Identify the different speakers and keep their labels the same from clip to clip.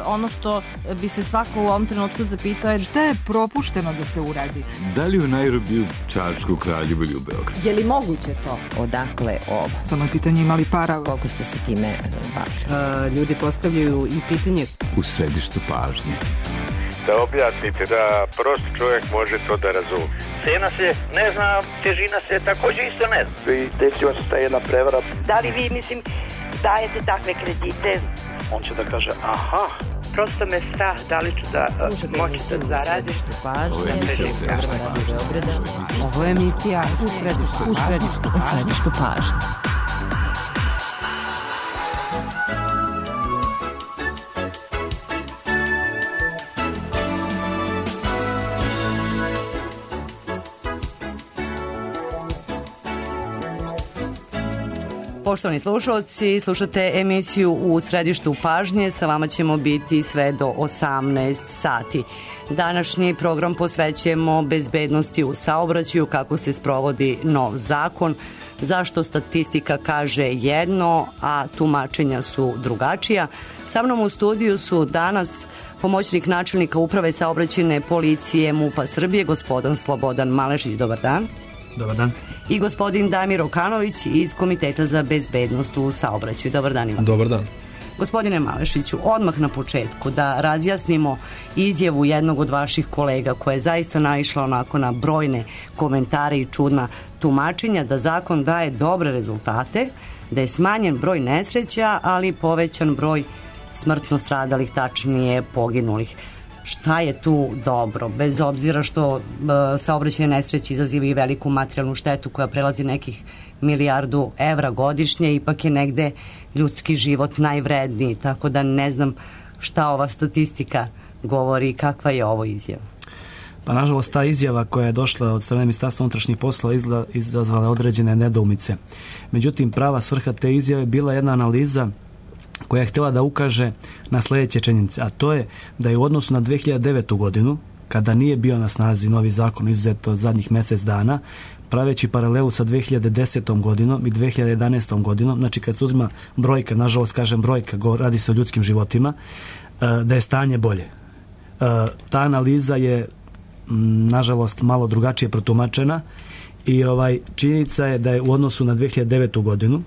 Speaker 1: ono što bi se svako u ovom trenutku zapitao je šta je propušteno da se uradi.
Speaker 2: Da li u Nairobiju, Čačku, Kraljevu ili u Beogradu?
Speaker 3: Je li moguće to? Odakle ovo?
Speaker 1: Samo je pitanje imali para.
Speaker 3: Koliko ste se time bavili?
Speaker 1: Ljudi postavljaju i pitanje
Speaker 2: U središtu pažnje.
Speaker 4: Da objasnite, da prost čovjek može to da razumije.
Speaker 5: Cena se ne zna, težina se također isto ne zna.
Speaker 6: I desila se ta jedna prevara.
Speaker 7: Da li vi, dajete takve kredite?
Speaker 6: On će da kaže, aha.
Speaker 7: Prosto me strah, da li ću da moći da zaradim.
Speaker 1: Ovo je emisija u središtu pažnje.
Speaker 8: Poštovani slušalci, slušate emisiju u središtu pažnje, sa vama ćemo biti sve do 18 sati. Današnji program posvećujemo bezbednosti u saobraćaju, kako se sprovodi nov zakon, zašto statistika kaže jedno, a tumačenja su drugačija. Sa mnom u studiju su danas pomoćnik načelnika Uprave saobraćajne policije MUP-a Srbije, gospodin Slobodan Malešić. Dobar dan.
Speaker 9: Dobar dan.
Speaker 8: I gospodin Damir Okanović iz Komiteta za bezbednost u saobraćaju. Dobar dan Ivan.
Speaker 9: Dobar dan.
Speaker 8: Gospodine Malešiću, odmah na početku da razjasnimo izjavu jednog od vaših kolega koja je zaista naišla onako na brojne komentare i čudna tumačenja da zakon daje dobre rezultate, da je smanjen broj nesreća, ali povećan broj smrtno stradalih, tačnije poginulih. Šta je tu dobro, bez obzira što saobraćajne nesreće izazivaju veliku materijalnu štetu koja prelazi nekih milijardu evra godišnje, ipak je negde ljudski život najvredniji, tako da ne znam šta ova statistika govori i kakva je ovo izjava.
Speaker 9: Pa nažalost ta izjava koja je došla od strane Ministarstva unutrašnjih poslova izazvala određene nedoumice. Međutim, prava svrha te izjave bila jedna analiza koja je htjela da ukaže na sljedeće činjenice, a to je da je u odnosu na 2009. godinu, kada nije bio na snazi novi zakon izuzeto zadnjih mjesec dana, praveći paralelu sa 2010. godinom i 2011. godinom, znači kad se uzima brojka, nažalost kažem brojka, radi se o ljudskim životima, da je stanje bolje. Ta analiza je nažalost malo drugačije protumačena i činjenica je da je u odnosu na 2009. godinu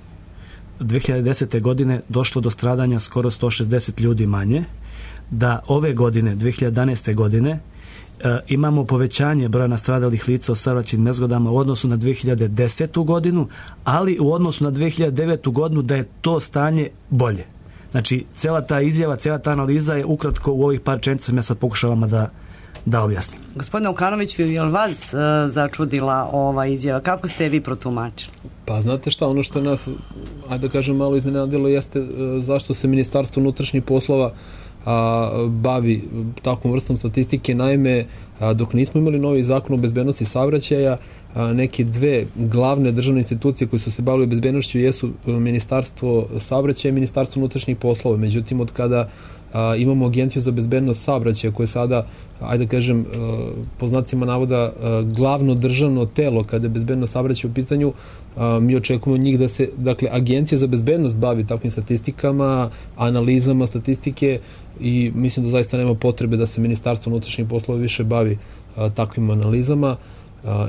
Speaker 9: 2010. godine došlo do stradanja skoro 160 ljudi manje, da ove godine, 2011. godine, imamo povećanje broja nastradalih lica o saobraćajnim nezgodama u odnosu na 2010. godinu, ali u odnosu na 2009. godinu da je to stanje bolje. Znači, cijela ta izjava, cijela ta analiza je ukratko u ovih par čenica ja sad pokušavam da objasnim.
Speaker 8: Gospodine Okanoviću, je li vas začudila ova izjava? Kako ste vi protumačili?
Speaker 10: Pa znate šta, ono što nas, ajde da kažem, malo iznenadilo jeste zašto se Ministarstvo unutrašnjih poslova bavi takvom vrstom statistike. Naime, dok nismo imali novi zakon o bezbednosti saobraćaja, neke dve glavne državne institucije koje su se bavile bezbednošću jesu Ministarstvo saobraćaja i Ministarstvo unutrašnjih poslova. Međutim, od kada imamo Agenciju za bezbednost saobraćaja koje sada, ajde da kažem, po znacima navoda glavno državno telo kada je bezbednost saobraćaja u pitanju, mi očekujemo njih da se, dakle, Agencija za bezbednost bavi takvim statistikama, analizama statistike i mislim da zaista nema potrebe da se Ministarstvo unutrašnjih poslova više bavi takvim analizama.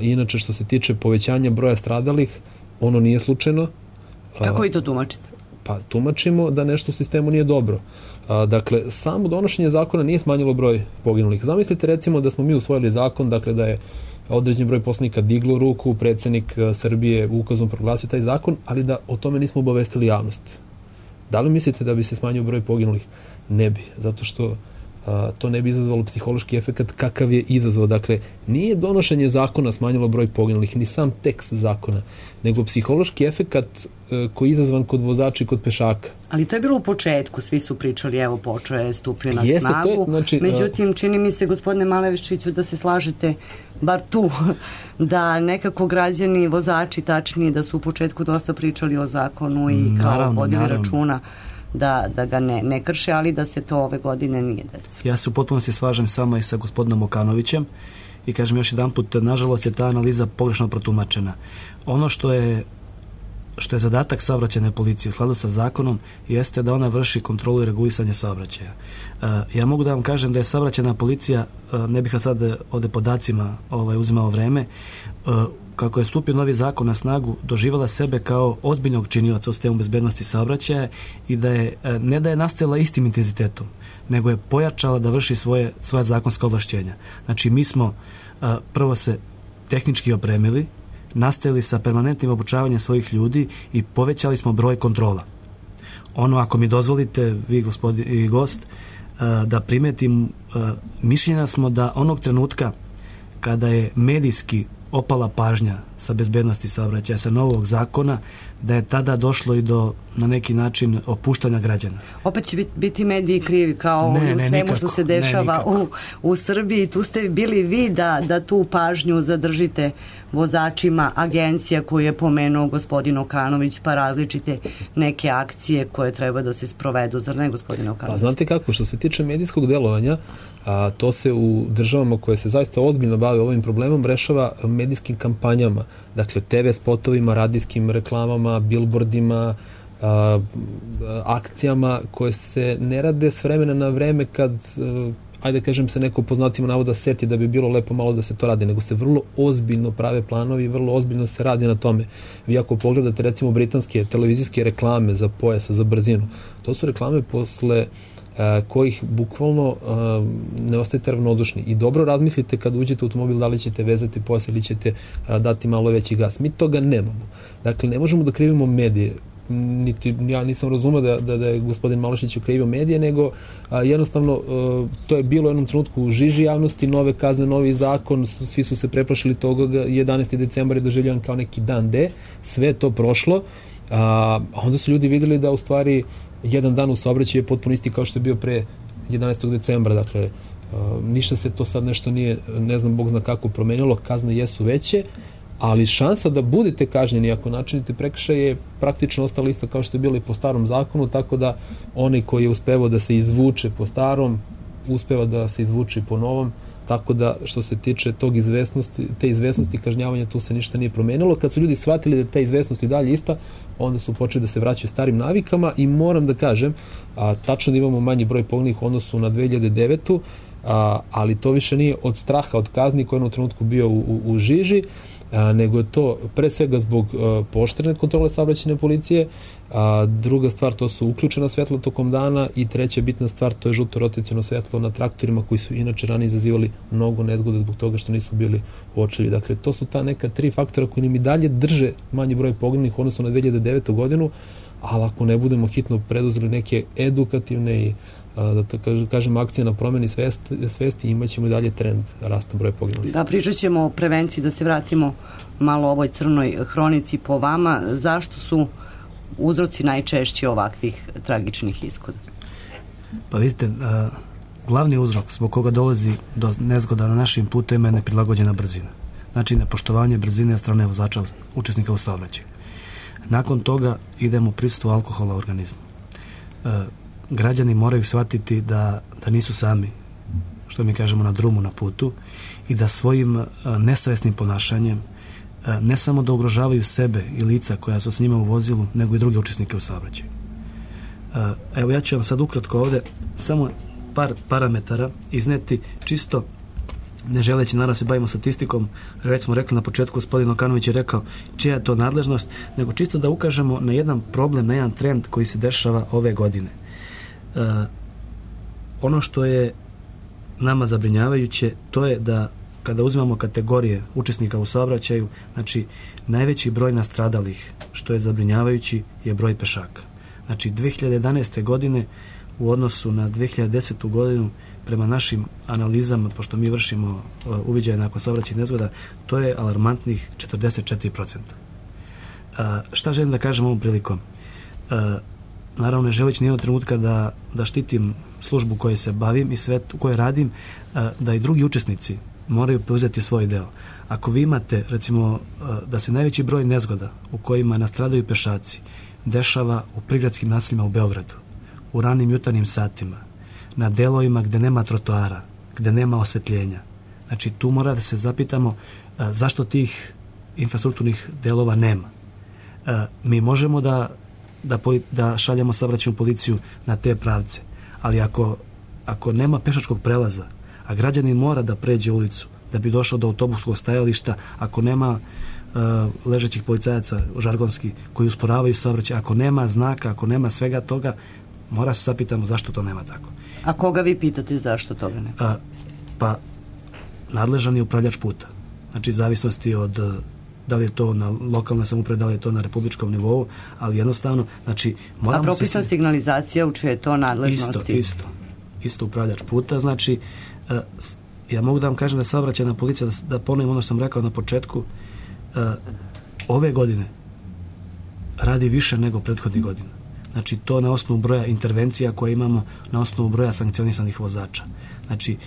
Speaker 10: Inače, što se tiče povećanja broja stradalih, ono nije slučajno.
Speaker 8: Kako vi to tumačite?
Speaker 10: Pa tumačimo da nešto u sistemu nije dobro. Dakle, samo donošenje zakona nije smanjilo broj poginulih. Zamislite recimo da smo mi usvojili zakon, dakle da je određen broj poslanika diglo ruku, predsjednik Srbije ukazom proglasio taj zakon, ali da o tome nismo obavestili javnost. Da li mislite da bi se smanjio broj poginulih? Ne bi, zato što to ne bi izazvalo psihološki efekat kakav je izazvao. Dakle, nije donošenje zakona smanjilo broj poginulih, ni sam tekst zakona, nego psihološki efekat koji je izazvan kod vozača i kod pešaka.
Speaker 8: Ali to je bilo u početku, svi su pričali, evo, počeo je, stupio na snagu.
Speaker 10: Znači,
Speaker 8: međutim, čini mi se, gospodine Malešiću, da se slažete bar tu, da nekako građani, vozači tačnije, da su u početku dosta pričali o zakonu i kao vodili računa da ga ne krše, ali da se to ove godine nije desilo.
Speaker 9: Ja se u potpunosti slažem samo i sa gospodinom Okanovićem i kažem još jedan put, nažalost je ta analiza pogrešno protumačena. Ono što je što je zadatak saobraćajne policije u skladu sa zakonom jeste da ona vrši kontrolu i regulisanje saobraćaja. Ja mogu da vam kažem da je saobraćajna policija, ne bih sad ovde podacima uzimao vreme, kako je stupio novi zakon na snagu, doživala sebe kao ozbiljnog činioca u sistemu bezbednosti saobraćaja i da je, ne da je nastavila istim intenzitetom, nego je pojačala da vrši svoje zakonska ovlašćenja. Znači, mi smo prvo se tehnički opremili, nastavili sa permanentnim obučavanjem svojih ljudi i povećali smo broj kontrola. Ono, ako mi dozvolite, vi gospodin i gost, da primetim, mišljenja smo da onog trenutka kada je medijski opala pažnja sa bezbednosti saobraćaja, sa novog zakona, da je tada došlo i do, na neki način, opuštanja građana.
Speaker 8: Opet će biti mediji krivi kao u svemu što se dešava u Srbiji. Tu ste bili vi da tu pažnju zadržite vozačima, agencija koju je pomenuo gospodin Okanović, pa različite neke akcije koje treba da se sprovedu, zar ne, gospodin Okanović?
Speaker 10: Pa znate kako, što se tiče medijskog delovanja, to se u državama koje se zaista ozbiljno bave ovim problemom rešava medijskim kampanjama, dakle TV spotovima, radijskim reklamama, bilbordima, akcijama koje se ne rade s vremena na vreme kad, ajde kažem, se neko po znacima navoda seti da bi bilo lepo malo da se to radi, nego se vrlo ozbiljno prave planovi i vrlo ozbiljno se radi na tome. Vi ako pogledate recimo britanske televizijske reklame za pojasa, za brzinu, to su reklame posle kojih bukvalno ne ostajete ravnodušni i dobro razmislite kad uđete u automobil da li ćete vezati pojas ili ćete dati malo veći gas. Mi toga nemamo. Dakle, ne možemo da krivimo medije. Ja nisam razumeo da je gospodin Malešić okrivio medije, nego jednostavno to je bilo u jednom trenutku u žiži javnosti, nove kazne, novi zakon, svi su se preplašili toga, 11. decembar je doživljavan kao neki dan D, sve je to prošlo, a onda su ljudi videli da u stvari jedan dan u saobraćaju je potpuno isti kao što je bio pre 11. decembra, dakle ništa se to sad nešto nije, ne znam, Bog zna kako promenilo, kazne jesu veće, ali šansa da budete kažnjeni ako načinite prekršaj je praktično ostala ista kao što je bilo i po starom zakonu, tako da onaj koji je uspevao da se izvuče po starom, uspeva da se izvuče po novom, tako da što se tiče te izvesnosti kažnjavanja, tu se ništa nije promenilo. Kad su ljudi shvatili da ta izvesnost i dalje ista, onda su počeli da se vraćaju starim navikama i moram da kažem, tačno da imamo manji broj poginulih u odnosu na 2009. Ali to više nije od straha od kazni koji je u trenutku bio u žiži, nego je to pre svega zbog pooštrene kontrole saobraćajne policije, druga stvar to su uključena svetla tokom dana i treća bitna stvar to je žuto rotaciono svetlo na traktorima koji su inače ranije izazivali mnogo nezgode zbog toga što nisu bili uočljivi. Dakle, to su ta neka tri faktora koji nam i dalje drže manji broj poginulih u odnosu na 2009. godinu, ali ako ne budemo hitno preduzeli neke edukativne i da kažem akcije na promeni svesti, imat ćemo i dalje trend rasta broja poginulih.
Speaker 8: Da, pričat ćemo o prevenciji, da se vratimo malo ovoj crnoj hronici po vama. Zašto su uzroci najčešći ovakvih tragičnih ishoda?
Speaker 9: Pa vidite, glavni uzrok zbog koga dolazi do nezgoda na našim putovima je neprilagođena brzina. Znači, nepoštovanje brzine od strane vozača, učesnika u saobraćaju. Nakon toga idemo prisustvo alkohola u organizmu. Građani moraju shvatiti da nisu sami, što mi kažemo, na drumu, na putu, i da svojim nesavesnim ponašanjem ne samo da ugrožavaju sebe i lica koja su s njima u vozilu, nego i druge učesnike u saobraćaju. Evo, ja ću vam sad ukratko ovde samo par parametara izneti, čisto ne želeći naravno se bavimo statistikom, već smo rekli na početku, gospodin Okanović je rekao čija je to nadležnost, nego čisto da ukažemo na jedan problem, na jedan trend koji se dešava ove godine. Ono što je nama zabrinjavajuće, to je da kada uzimamo kategorije učesnika u saobraćaju, znači najveći broj nastradalih, što je zabrinjavajući, je broj pešaka. Znači 2011. godine u odnosu na 2010. godinu, prema našim analizama, pošto mi vršimo uviđaje nakon saobraćajnih nezgoda, to je alarmantnih 44%. Šta želim da kažem ovom prilikom? Naravno, ne želeći nijednog trenutka da štitim službu kojoj se bavim i sve u kojoj radim, da i drugi učesnici moraju preuzeti svoj deo. Ako vi imate, recimo, da se najveći broj nezgoda u kojima nastradaju pešaci dešava u prigradskim naseljima u Beogradu, u ranim jutarnjim satima, na delovima gde nema trotoara, gde nema osvetljenja. Znači, tu mora da se zapitamo zašto tih infrastrukturnih delova nema. Mi možemo da šaljemo saobraćajnu policiju na te pravce, ali ako nema pešačkog prelaza, a građanin mora da pređe ulicu da bi došao do autobuskog stajališta, ako nema ležećih policajaca žargonski koji usporavaju saobraćaj, ako nema znaka, ako nema svega toga, mora se zapitamo zašto to nema tako.
Speaker 8: A koga vi pitate zašto toga nema?
Speaker 9: Pa nadležan je upravljač puta. Znači, zavisnosti od da li je to na lokalnoj samoupravi, da li je to na republičkom nivou, ali jednostavno, znači, moramo...
Speaker 8: A propisna signalizacija u čije je to nadležnosti?
Speaker 9: Isto upravljač puta, znači, ja mogu da vam kažem da saobraćajna policija, da ponovim ono što sam rekao na početku, ove godine radi više nego prethodnih godina. Znači, to na osnovu broja intervencija koje imamo, na osnovu broja sankcionisanih vozača. Znači,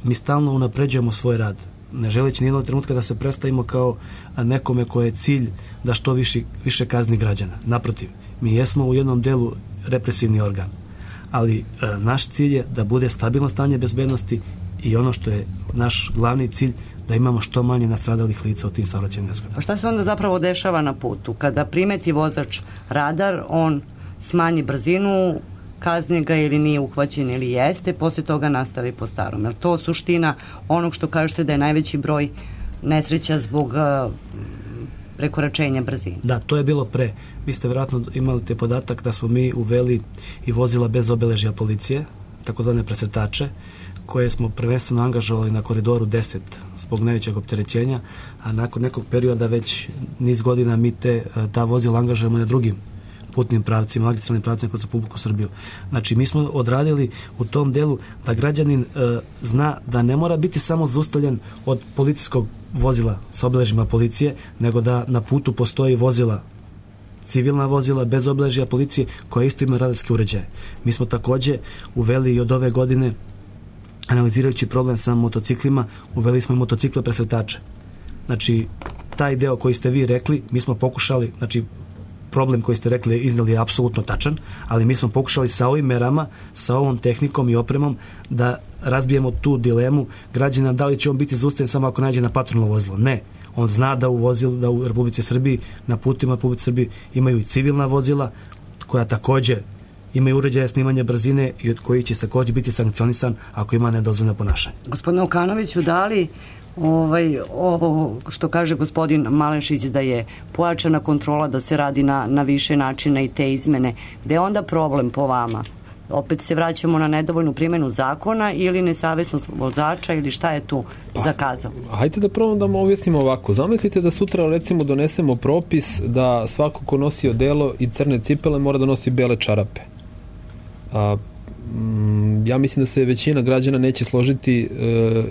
Speaker 9: mi stalno unapređujemo svoj rad, ne želeći nijednog trenutka da se predstavimo kao nekome koje je cilj da što više kazni građana. Naprotiv, mi jesmo u jednom delu represivni organ, ali naš cilj je da bude stabilno stanje bezbednosti i ono što je naš glavni cilj, da imamo što manje nastradalih lica u tim saobraćajnim nesrećama.
Speaker 8: Pa šta se onda zapravo dešava na putu? Kada primeti vozač radar, on smanji brzinu, kazni ga ili nije uhvaćen ili jeste, poslije toga nastavi po starom. Jer to suština onog što kažete da je najveći broj nesreća zbog prekoračenja brzine.
Speaker 9: Da, to je bilo pre. Vi ste vjerojatno imali te podatak da smo mi uveli i vozila bez obeležja policije, takozvane presretače, koje smo prvenstveno angažovali na koridoru 10 zbog najvećeg opterećenja, a nakon nekog perioda već niz godina mi ta vozila angažujemo na drugim putnim pravcima, magistralnim pravcima kroz Republiku Srbiju. Znači, mi smo odradili u tom delu da građanin zna da ne mora biti samo zaustavljen od policijskog vozila sa obeležjima policije, nego da na putu postoji vozila, civilna vozila bez obeležja policije koja isto ima radarske uređaje. Mi smo takođe uveli i od ove godine, analizirajući problem sa motociklima, uveli smo i motocikle presretače. Znači, taj deo koji ste vi rekli, mi smo pokušali, znači, problem koji ste rekli izneli je apsolutno tačan, ali mi smo pokušali sa ovim merama, sa ovom tehnikom i opremom da razbijemo tu dilemu građana da li će on biti zaustavljen samo ako nađe na patrolno vozilo. Ne. On zna da u Republici Srbiji, na putima Republici Srbiji imaju i civilna vozila koja takođe imaju uređaje snimanja brzine i od koji će takođe biti sankcionisan ako ima nedozvoljeno ponašanje.
Speaker 8: Gospodine Okanoviću, da li ovo što kaže gospodin Malešić da je pojačana kontrola, da se radi na više načina i te izmene, gde je onda problem po vama? Opet se vraćamo na nedovoljnu primjenu zakona ili nesavesnost vozača ili šta je tu zakazao?
Speaker 10: Hajde da probam da vam objasnimo ovako. Zamislite da sutra recimo donesemo propis da svako ko nosi odelo i crne cipele mora da nosi bele čarape. Ja mislim da se većina građana neće složiti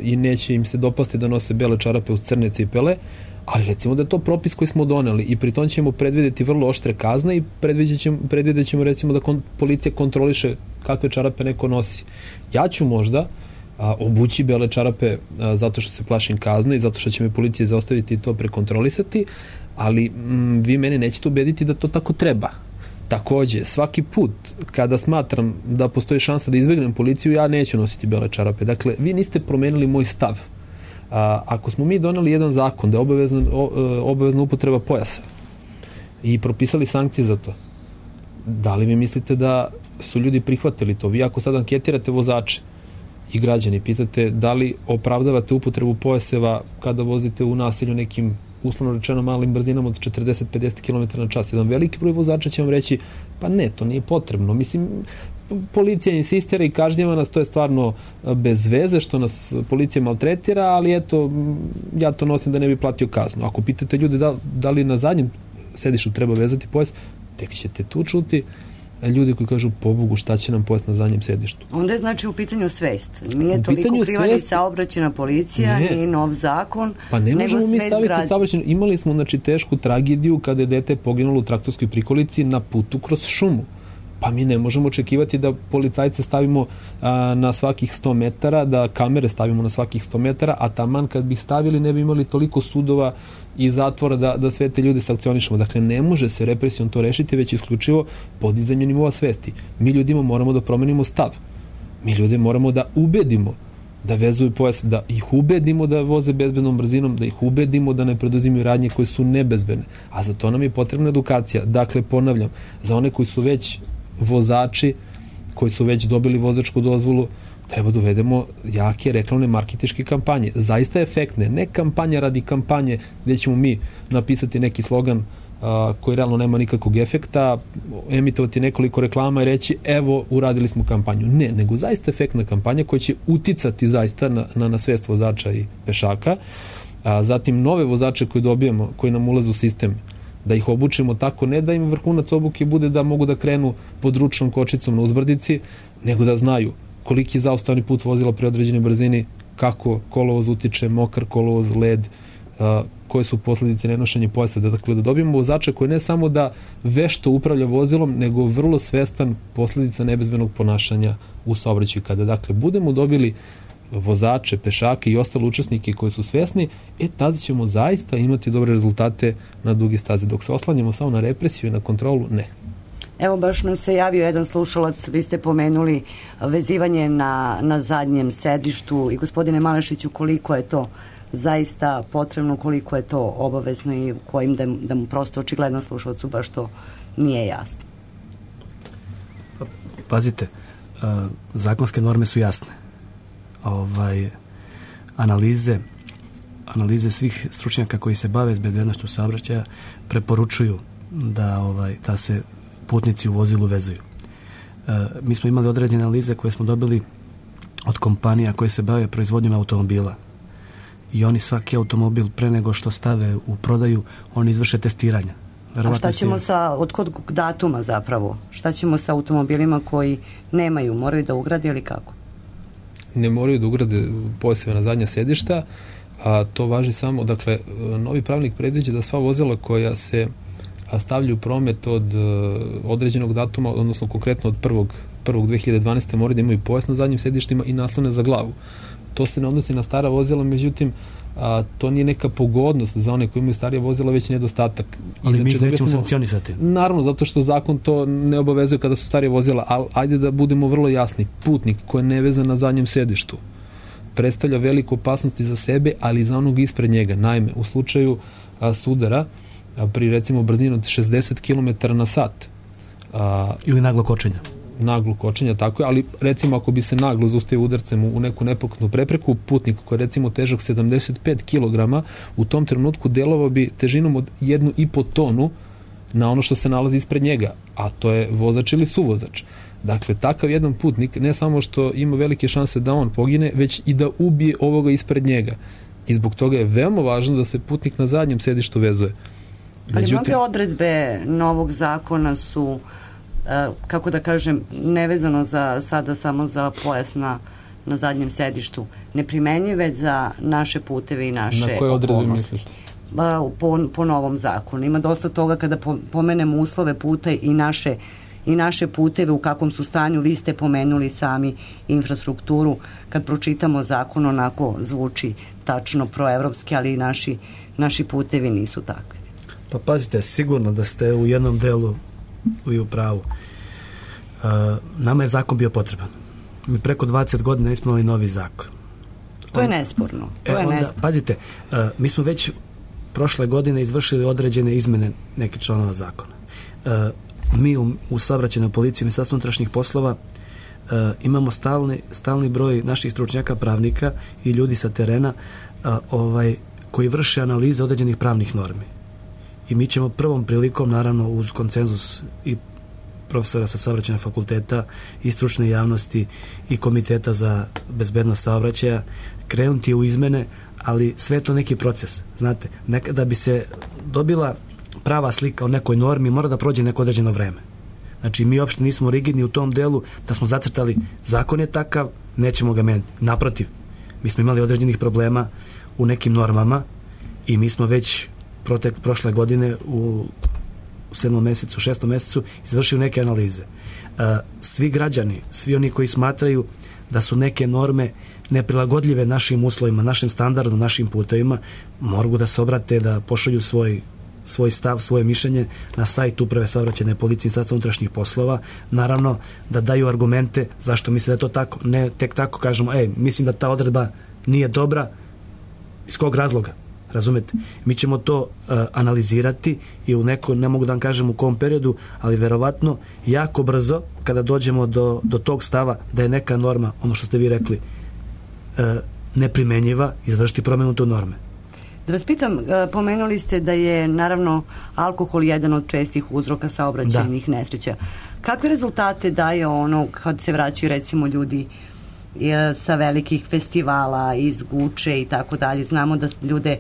Speaker 10: i neće im se dopasti da nose bele čarape uz crne cipele, ali recimo da je to propis koji smo doneli i pri tom ćemo predvidjeti vrlo oštre kazne i predvidjet ćemo recimo da policija kontroliše kakve čarape neko nosi. Ja ću možda obući bele čarape zato što se plašim kazne i zato što će me policija zaostaviti i to prekontrolisati, ali vi mene nećete ubediti da to tako treba. Takođe, svaki put kada smatram da postoji šansa da izbegnem policiju, ja neću nositi bele čarape. Dakle, vi niste promenili moj stav. Ako smo mi doneli jedan zakon da je obavezna upotreba pojasa i propisali sankcije za to, da li vi mislite da su ljudi prihvatili to? Vi ako sad anketirate vozače i građani, pitate da li opravdavate upotrebu pojaseva kada vozite u naselju nekim uslovno rečeno malim brzinama od 40-50 km na čas. Jedan veliki broj vozača će vam reći, pa ne, to nije potrebno. Mislim, policija insistira i kažnjava nas, to je stvarno bez veze što nas policija maltretira, ali eto, ja to nosim da ne bi platio kaznu. Ako pitate ljude da li na zadnjem sedištu treba vezati pojas, tek ćete tu čuti ljudi koji kažu, pobogu, šta će nam pojas na zadnjem sedištu.
Speaker 8: Onda je znači u pitanju svest. Nije toliko kriva ni saobraćajna policija, ni nov zakon,
Speaker 10: pa ne možemo mi staviti saobraćajnu. Imali smo znači tešku tragediju kada je dete poginulo u traktorskoj prikolici na putu kroz šumu. Pa mi ne možemo očekivati da policajce stavimo na svakih 100 metara, da kamere stavimo na svakih 100 metara, a taman kad bi stavili ne bi imali toliko sudova i zatvora da sve te ljude sankcionišemo. Dakle, ne može se represijom to rešiti, već isključivo podizanje nivoa svesti. Mi ljudima moramo da promenimo stav. Mi ljude moramo da ubedimo da vezuju pojas, da ih ubedimo da voze bezbednom brzinom, da ih ubedimo da ne preduzimaju radnje koje su nebezbedne. A za to nam je potrebna edukacija. Dakle, ponavljam, za one koji su već vozači, koji su već dobili vozačku dozvolu, treba da uvedemo jake reklamne marketinške kampanje. Zaista efektne. Ne kampanja radi kampanje gdje ćemo mi napisati neki slogan koji realno nema nikakvog efekta, emitovati nekoliko reklama i reći evo, uradili smo kampanju. Ne, nego zaista efektna kampanja koja će uticati zaista na svest vozača i pešaka. Zatim nove vozače koje dobijemo, koji nam ulaze u sistem, da ih obučimo tako, ne da im vrhunac obuke bude da mogu da krenu pod ručnom kočicom na uzbrdici, nego da znaju koliki je zaustavni put vozila pri određenoj brzini, kako kolovoz utiče, mokar kolovoz, led, koje su posljedice nenošenja pojasa. Dakle, da dobijemo vozača koji ne samo da vešto upravlja vozilom, nego vrlo svestan posljedica nebezbednog ponašanja u saobraćaju. Kada, dakle, budemo dobili vozače, pešake i ostale učesnike koji su svesni, tada ćemo zaista imati dobre rezultate na duge staze. Dok se oslanjamo samo na represiju i na kontrolu, ne.
Speaker 8: Evo, baš nam se javio jedan slušalac, vi ste pomenuli vezivanje na zadnjem sedištu i gospodine Malešiću, koliko je to zaista potrebno, koliko je to obavezno i kojim da mu prosto očigledno slušalcu baš to nije jasno.
Speaker 9: Pazite, zakonske norme su jasne. Analize svih stručnjaka koji se bave s bezbednošću saobraćaja preporučuju da se putnici u vozilu vezuju. Mi smo imali određene analize koje smo dobili od kompanija koje se bave proizvodnjom automobila i oni svaki automobil pre nego što stave u prodaju, oni izvrše testiranja.
Speaker 8: A šta ćemo od kod datuma zapravo? Šta ćemo sa automobilima koji nemaju, moraju da ugrade ili kako?
Speaker 10: Ne moraju da ugrade pojaseve na zadnja sedišta, a to važi samo, dakle, novi pravilnik predviđa da sva vozila koja se stavljaju promet od određenog datuma, odnosno konkretno od 1.1.2012. moraju da imaju pojas na zadnjim sedištima i naslone za glavu. To se ne odnosi na stara vozila, međutim, to nije neka pogodnost za one koji imaju starije vozila, već nedostatak.
Speaker 9: Ali mi ih nećemo sankcionisati.
Speaker 10: Naravno, zato što zakon to ne obavezuje kada su starije vozila, ali ajde da budemo vrlo jasni. Putnik koji je nevezan na zadnjem sedištu predstavlja veliku opasnost i za sebe, ali i za onog ispred njega. Naime, u slučaju sudara, pri recimo brzini od 60 km na sat.
Speaker 9: Ili naglo kočenja, tako je, ali recimo ako bi se naglo zaustavio udarcem u neku nepokretnu prepreku, putnik koji je recimo težak 75 kg, u tom trenutku delovao bi težinom od 1,5 tonu na ono što se nalazi ispred njega, a to je vozač ili suvozač. Dakle, takav jedan putnik ne samo što ima velike šanse da on pogine, već i da ubije ovoga ispred njega. I zbog toga je veoma važno da se putnik na zadnjem sedištu vezuje.
Speaker 8: Ali mnoge odredbe novog zakona su, kako da kažem, nevezano sada samo za pojas na zadnjem sedištu, neprimenjive za naše puteve i naše okolnosti.
Speaker 10: Na koje odredbe mislite?
Speaker 8: Po novom zakonu. Ima dosta toga kada pomenemo uslove puta i naše puteve, u kakvom su stanju. Vi ste pomenuli sami infrastrukturu. Kad pročitamo zakon, onako zvuči tačno proevropski, ali i naši putevi nisu takvi.
Speaker 9: Pa pazite, sigurno da ste u jednom delu i u pravu. Nama je zakon bio potreban. Mi preko 20 godina nismo imali novi zakon.
Speaker 8: To je nesporno.
Speaker 9: Pazite, mi smo već prošle godine izvršili određene izmene nekih članova zakona. Mi u saobraćajnoj policiji Ministarstva unutrašnjih poslova imamo stalni broj naših stručnjaka, pravnika i ljudi sa terena koji vrše analize određenih pravnih normi. I mi ćemo prvom prilikom, naravno uz konsenzus i profesora sa saobraćajnog fakulteta i stručne javnosti i komiteta za bezbednost saobraćaja krenuti u izmene, ali sve je to neki proces. Znate, da bi se dobila prava slika o nekoj normi, mora da prođe neko određeno vreme. Znači, mi uopšte nismo rigidni u tom delu da smo zacrtali zakon je takav, nećemo ga menjati. Naprotiv, mi smo imali određenih problema u nekim normama i mi smo već prošle godine u 7. mjesecu, 6. mjesecu izvršili neke analize. Svi građani, svi oni koji smatraju da su neke norme neprilagodljive našim uslovima, našem standardu, našim putevima, mogu da se obrate, da pošalju svoj svoj stav, svoje mišljenje na sajt Uprave saobraćajne policije Ministarstva unutrašnjih poslova, naravno da daju argumente zašto misle da je to tako, ne tek tako kažemo, mislim da ta odredba nije dobra, iz kog razloga, razumete? Mi ćemo to analizirati i u neko, ne mogu da vam kažem u kom periodu, ali verovatno jako brzo, kada dođemo do tog stava da je neka norma, ono što ste vi rekli, neprimenjiva, izvršiti promjenu tu norme.
Speaker 8: Da vas pitam, pomenuli ste da je naravno alkohol jedan od čestih uzroka saobraćajnih nesreća. Kakve rezultate daje ono kad se vraćaju recimo ljudi sa velikih festivala iz Guče i tako dalje? Znamo da ljude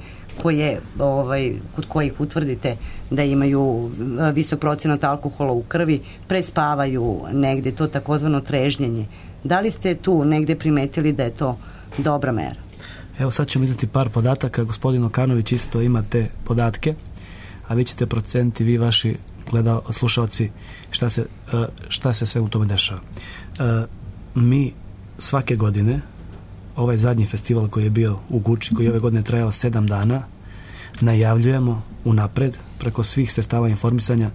Speaker 8: kod kojih utvrdite da imaju visok procenat alkohola u krvi, prespavaju negde, to takozvano trežnjenje. Da li ste tu negde primetili da je to dobra mera?
Speaker 9: Evo sad ćemo izneti par podataka. Gospodin Okanović isto ima te podatke, a vi ćete proceniti, vi vaši slušalci, šta se sve u tome dešava. Mi svake godine, ovaj zadnji festival koji je bio u Guči, koji je ove godine trajao 7 dana, najavljujemo unapred preko svih sredstava informisanja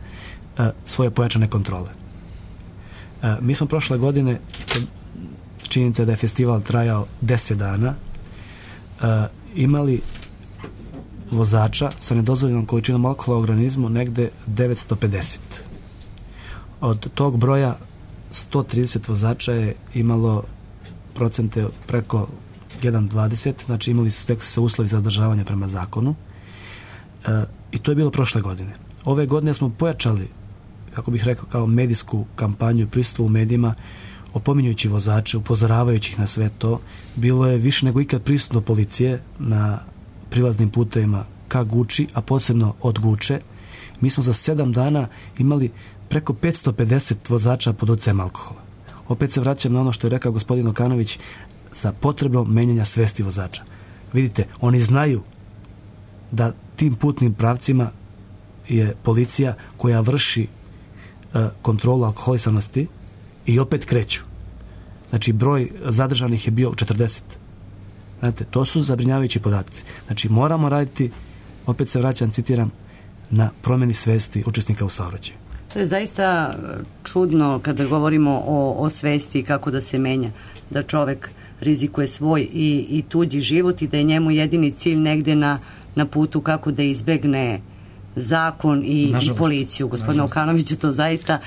Speaker 9: svoje pojačane kontrole. Mi smo prošle godine, činjenica da je festival trajao 10 dana, imali vozača sa nedozvoljenom količinom alkohola u organizmu negde 950. Od tog broja 130 vozača je imalo procente preko 1,20, znači imali su se uslovi za zadržavanje prema zakonu, i to je bilo prošle godine. Ove godine smo pojačali, kako bih rekao, kao medijsku kampanju, prisustvo u medijima, opominjujući vozače, upozoravajući ih na sve to. Bilo je više nego ikad prisutno policije na prilaznim putevima ka Guči, a posebno od Guče. Mi smo za 7 dana imali preko 550 vozača pod utjecajem alkohola. Opet se vraćam na ono što je rekao gospodin Okanović za potrebom menjanja svesti vozača. Vidite, oni znaju da tim putnim pravcima je policija koja vrši kontrolu alkoholisanosti i opet kreću. Znači, broj zadržanih je bio 40. Znate, to su zabrinjavajući podaci. Znači, moramo raditi, opet se vraćam, citiram, na promjeni svesti učesnika u saobraćaju.
Speaker 8: To je zaista čudno kada govorimo o svesti i kako da se menja, da čovek rizikuje svoj i tuđi život i da je njemu jedini cilj negde na putu kako da izbegne zakon i policiju. Gospodine Okanoviću, to zaista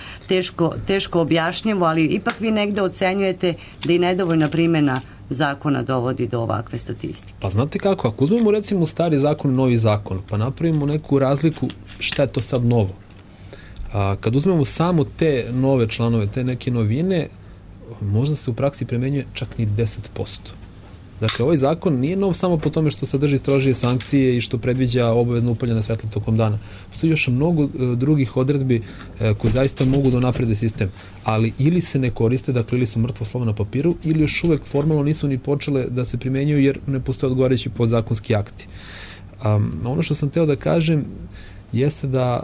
Speaker 8: teško objašnjivo, ali ipak vi negde ocenjujete da i nedovoljna primjena zakona dovodi do ovakve statistike.
Speaker 10: Pa znate kako, ako uzmemo recimo stari zakon, novi zakon, pa napravimo neku razliku šta je to sad novo. Kad uzmemo samo te nove članove, te neke novine, možda se u praksi primenjuje čak ni 10%. Dakle, ovaj zakon nije nov samo po tome što sadrži strožije sankcije i što predviđa obavezno upaljanje svetla tokom dana. Postoji još mnogo drugih odredbi koje zaista mogu da unaprede sistem, ali ili se ne koriste, dakle ili su mrtvo slovo na papiru, ili još uvek formalno nisu ni počele da se primenjuju jer ne postoje odgovarajući podzakonski akti. Ono što sam teo da kažem jeste da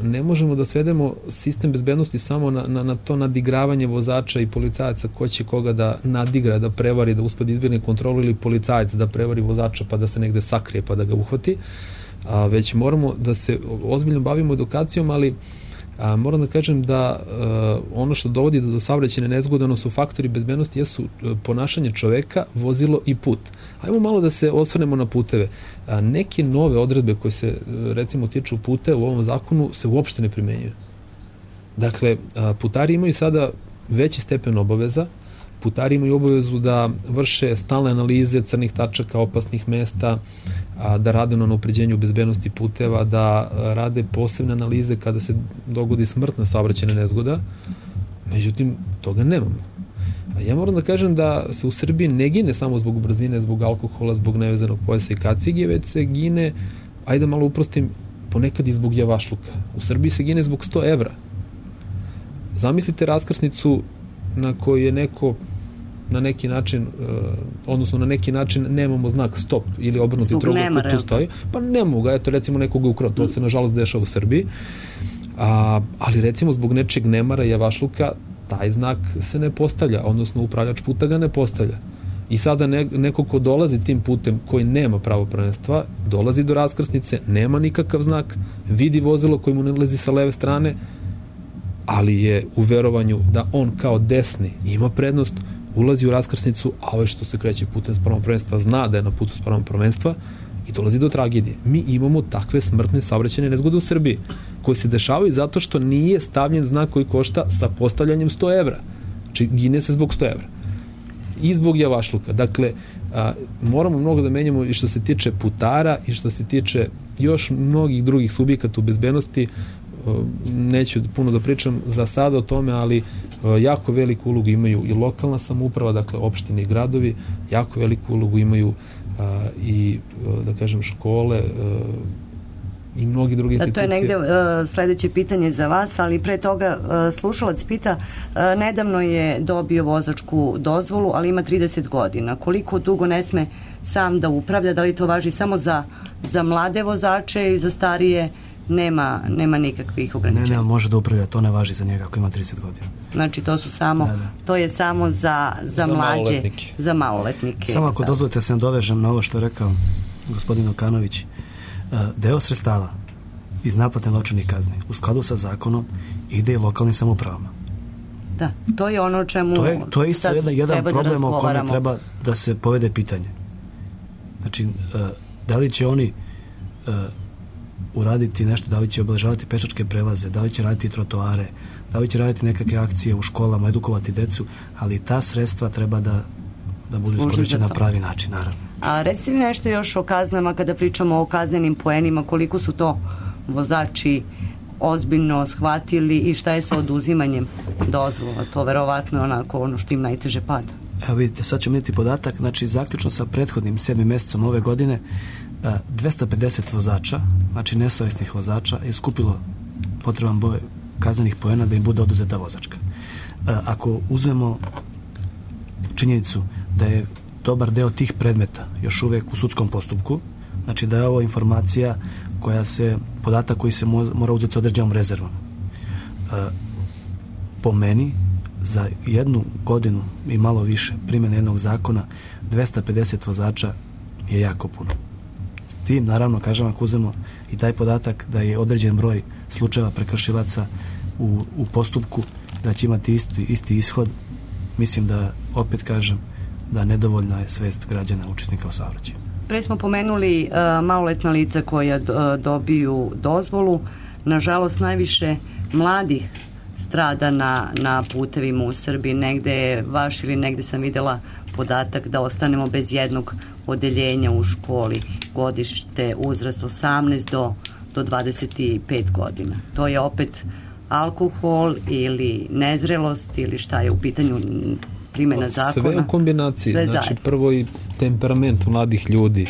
Speaker 10: ne možemo da svedemo sistem bezbednosti samo na to nadigravanje vozača i policajaca ko će koga da nadigra, da prevari, da uspe da izbjegne kontrolu, ili policajac da prevari vozača pa da se negde sakrije pa da ga uhvati, već moramo da se ozbiljno bavimo edukacijom, ali moram da kažem da ono što dovodi do saobraćajne nezgode, su faktori bezbednosti, jesu ponašanje čoveka, vozilo i put. Ajmo malo da se osvrnemo na puteve. Neke nove odredbe koje se recimo tiču puteva u ovom zakonu se uopšte ne primenjuju. Dakle, putari imaju sada veći stepen obaveza, putari imaju obavezu da vrše stalne analize crnih tačaka, opasnih mesta, da rade na unapređenju bezbednosti puteva, da rade posebne analize kada se dogodi smrtna saobraćajna nezgoda. Međutim, toga nemamo. Ja moram da kažem da se u Srbiji ne gine samo zbog brzine, zbog alkohola, zbog nevezanog pojasa i kacige, već se gine, ajde malo uprostim, ponekad i zbog javašluka. U Srbiji se gine zbog 100 evra. Zamislite raskrsnicu na kojoj je neko na neki način, odnosno na neki način nemamo znak stop ili obrnuti trougao koji tu stoji, pa ne mogu ga, eto recimo nekoga ukrao, to se nažalost dešava u Srbiji, ali recimo zbog nečeg nemara i javašluka taj znak se ne postavlja, odnosno upravljač puta ga ne postavlja. I sada neko ko dolazi tim putem koji nema pravo prvenstva, dolazi do raskrsnice, nema nikakav znak, vidi vozilo koje mu nalazi sa leve strane, ali je u verovanju da on kao desni ima prednost, ulazi u raskrsnicu, a ovaj što se kreće putem spravom prvenstva zna da je na putu spravom prvenstva i dolazi do tragedije. Mi imamo takve smrtne saobraćajne nezgode u Srbiji, koje se dešavaju zato što nije stavljen znak koji košta sa postavljanjem 100 evra. Znači, gine se zbog 100 evra. I zbog javašluka. Dakle, moramo mnogo da menjamo i što se tiče putara i što se tiče još mnogih drugih subjekata u bezbednosti. Neću puno da pričam za sada o tome, ali jako veliku ulogu imaju i lokalna samouprava, dakle opštine i gradovi, jako veliku ulogu imaju i, da kažem, škole i mnogi drugi institucije.
Speaker 8: To je negde sledeće pitanje za vas, ali pre toga slušalac pita, nedavno je dobio vozačku dozvolu, ali ima 30 godina. Koliko dugo ne sme sam da upravlja? Da li to važi samo za mlade vozače i za starije? Nema nikakvih ograničenja.
Speaker 9: Ne, može da upravlja, to ne važi za njega ako ima 30 godina.
Speaker 8: Znači to su samo, to je samo za mlađe, za maloletnike.
Speaker 9: Samo ako dozvolite se nadovežem na ovo što je rekao gospodin Okanović, deo sredstava iz naplate novčanih kazni u skladu sa zakonom ide i lokalnim samoupravama.
Speaker 8: Da, to je ono o čemu
Speaker 9: to je isto jedan problem o kome treba da se povede pitanje. Znači, da li će oni uraditi nešto, da li će obeležavati pešačke prelaze, da li će raditi trotoare, da li će raditi nekakve akcije u školama, edukovati decu, ali ta sredstva treba da budu iskorišćena na pravi način, naravno.
Speaker 8: A recite mi nešto još o kaznama kada pričamo o kaznenim poenima, koliko su to vozači ozbiljno shvatili i šta je sa oduzimanjem dozvola? To verovatno onako ono što im najteže pada.
Speaker 9: Evo vidite, sad ćemo vidjeti podatak, znači zaključno sa prethodnim 7. mesecom ove godine 250 vozača, znači nesavesnih vozača, je skupilo potreban broj kaznenih poena da im bude oduzeta vozačka. Ako uzmemo činjenicu da je dobar deo tih predmeta još uvek u sudskom postupku, znači da je ovo informacija podatak koji se mora uzeti s određenom rezervom. Po meni, za 1 godinu i malo više primjene jednog zakona, 250 vozača je jako puno. S tim, naravno, kažem, ako uzmemo i taj podatak da je određen broj slučajeva prekršilaca u postupku, da će imati isti ishod, mislim da, opet kažem, da nedovoljna je svest građana učesnika u saobraćaju.
Speaker 8: Pre smo pomenuli maloletna lica koja dobiju dozvolu. Nažalost, najviše mladih strada na putevima u Srbiji. Negde je vaš ili negde sam videla podatak da ostanemo bez jednog odeljenja u školi, godište, uzrast 18 do 25 godina. To je opet alkohol ili nezrelost ili šta je u pitanju primjena zakona?
Speaker 10: Sve u kombinaciji. Znači, prvo i temperament mladih ljudi,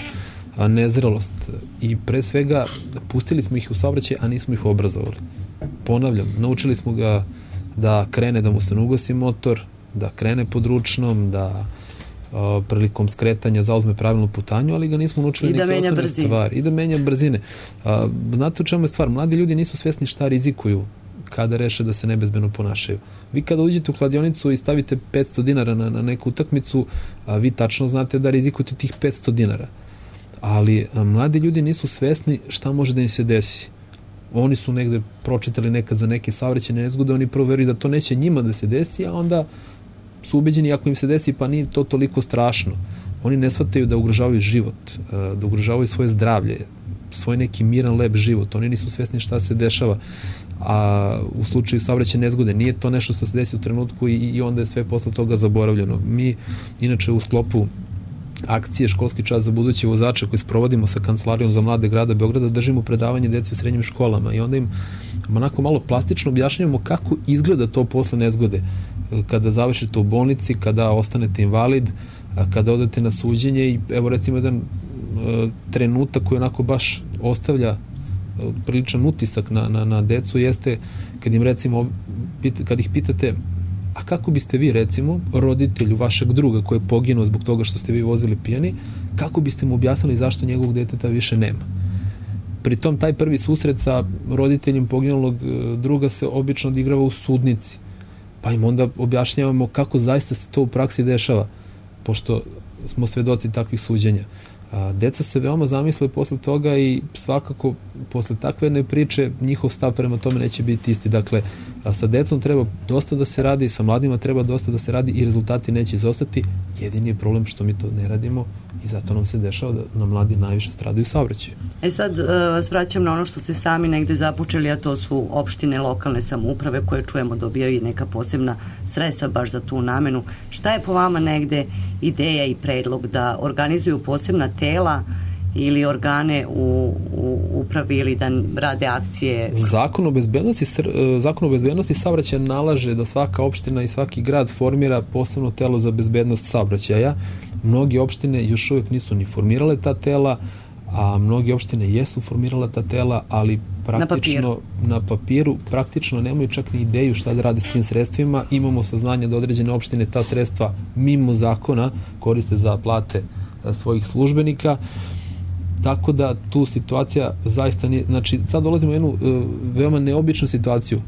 Speaker 10: a nezrelost. I pre svega pustili smo ih u saobraćaj, a nismo ih obrazovali. Ponavljam, naučili smo ga da krene, da mu se ne ugasi motor, da krene pod ručnom, da prilikom skretanja zauzme pravilnu putanju, ali ga nismo naučili neke osnovne stvari. I da menja brzine. Znate u čemu je stvar? Mladi ljudi nisu svesni šta rizikuju kada reše da se nebezbedno ponašaju. Vi kada uđete u kladionicu i stavite 500 dinara na neku utakmicu, vi tačno znate da rizikujete tih 500 dinara. Ali mladi ljudi nisu svesni šta može da im se desi. Oni su negde pročitali nekad za neke saobraćajne nezgode, oni prvo veruju da to neće njima da se desi, a onda su ubeđeni ako im se desi pa nije to toliko strašno. Oni ne shvataju da ugrožavaju život, da ugrožavaju svoje zdravlje, svoj neki miran, lep život. Oni nisu svesni šta se dešava. A u slučaju saobraćajne nezgode nije to nešto što se desi u trenutku i onda je sve posle toga zaboravljeno. Mi, inače, u sklopu akcije Školski čas za buduće vozače koji sprovodimo sa Kancelarijom za mlade grada Beograda, držimo predavanje deci u srednjim školama i onda im onako malo plastično objašnjavamo kako izgleda to posle nezgode. Kada završite u bolnici, kada ostanete invalid, kada odete na suđenje i evo recimo jedan trenutak koji onako baš ostavlja priličan utisak na decu jeste kad im recimo kad ih pitate a kako biste vi recimo roditelju vašeg druga koji je poginuo zbog toga što ste vi vozili pijani, kako biste mu objasnili zašto njegovog deteta više nema? Pritom taj prvi susret sa roditeljem poginulog druga se obično odigrava u sudnici, pa im onda objašnjavamo kako zaista se to u praksi dešava, pošto smo svedoci takvih suđenja. Deca se veoma zamisle posle toga i svakako posle takve jedne priče njihov stav prema tome neće biti isti. Dakle, sa decom treba dosta da se radi, sa mladima treba dosta da se radi i rezultati neće izostati. Jedini je problem što mi to ne radimo i zato nam se dešava da nam mladi najviše stradaju u saobraćaju.
Speaker 8: Sad vas vraćam na ono što ste sami negde započeli, a to su opštine, lokalne samouprave koje čujemo dobijaju i neka posebna sredstva baš za tu namenu. Šta je po vama negde ideja i predlog da organizuju posebna tela ili organe u upravi ili da rade akcije?
Speaker 10: Zakon o bezbednosti saobraćaja nalaže da svaka opština i svaki grad formira posebno telo za bezbednost saobraćaja. Mnogi opštine još uvijek nisu ni formirale ta tela, a mnogi opštine jesu formirala ta tela, ali praktično na papiru praktično nemaju čak ni ideju šta da rade s tim sredstvima. Imamo saznanje da određene opštine ta sredstva mimo zakona koriste za plate svojih službenika, tako da tu situacija zaista nije, znači sad dolazimo u jednu veoma neobičnu situaciju.